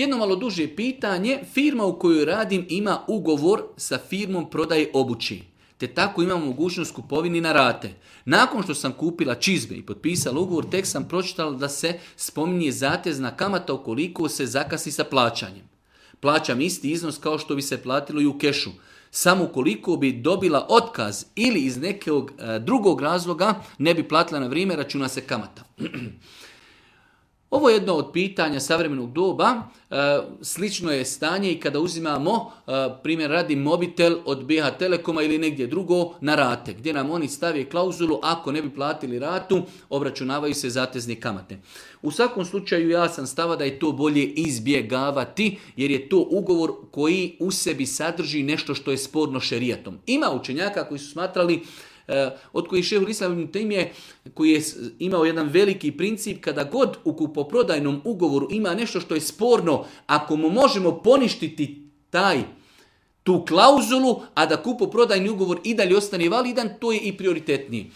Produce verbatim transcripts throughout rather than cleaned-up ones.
Jedno malo duže pitanje, firma u kojoj radim ima ugovor sa firmom prodaje obući, te tako imam mogućnost kupovini na rate. Nakon što sam kupila čizme i potpisala ugovor, tek sam pročitala da se spominje zatezna kamata ukoliko se zakasni sa plaćanjem. Plaćam isti iznos kao što bi se platilo i u kešu. Samo ukoliko bi dobila otkaz ili iz nekog e, drugog razloga ne bi platila na vrijeme, računa se kamata. Ovo je jedno od pitanja savremenog doba. E, slično je stanje i kada uzimamo, e, primjer radi mobitel od B H Telekoma ili negdje drugo na rate, gdje nam oni stave klauzulu ako ne bi platili ratu, obračunavaju se zatezne kamate. U svakom slučaju ja sam stava da je to bolje izbjegavati, jer je to ugovor koji u sebi sadrži nešto što je sporno šerijatom. Ima učenjaka koji su smatrali, od kojih šehul Islam ibn Tejmije, koji je imao jedan veliki princip, kada god u kupoprodajnom ugovoru ima nešto što je sporno, ako mu možemo poništiti taj tu klauzulu, a da kupoprodajni ugovor i dalje ostane validan, to je i prioritetniji.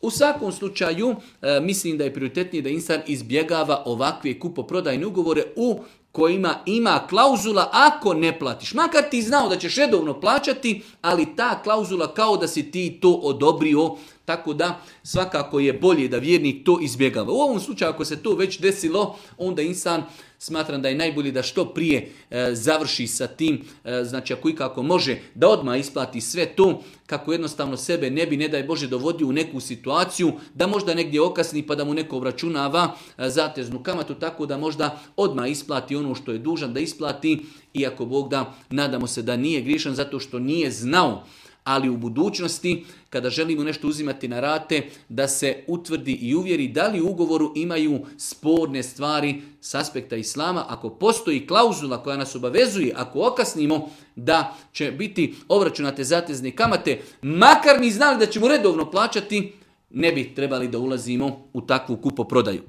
U svakom slučaju, mislim da je prioritetnije da insan izbjegava ovakve kupoprodajne ugovore u kojima ima klauzula ako ne platiš. Makar ti znao da ćeš redovno plaćati, ali ta klauzula kao da si ti to odobrio, tako da svakako je bolje da vjernik to izbjegava. U ovom slučaju ako se to već desilo, onda insan smatram da je najbolje da što prije e, završi sa tim, e, znači ako ikako može da odmah isplati sve to, kako jednostavno sebe ne bi, ne daj Bože, dovodio u neku situaciju da možda negdje okasni pa da mu neko obračunava e, zateznu kamatu, tako da možda odmah isplati ono što je dužan da isplati, iako Bog da, nadamo se da nije grišan zato što nije znao. Ali u budućnosti, kada želimo nešto uzimati na rate, da se utvrdi i uvjeri da li u ugovoru imaju sporne stvari s aspekta islama. Ako postoji klauzula koja nas obavezuje, ako okasnimo da će biti obračunate zatezne kamate, makar mi znali da ćemo redovno plaćati, ne bi trebali da ulazimo u takvu kupoprodaju.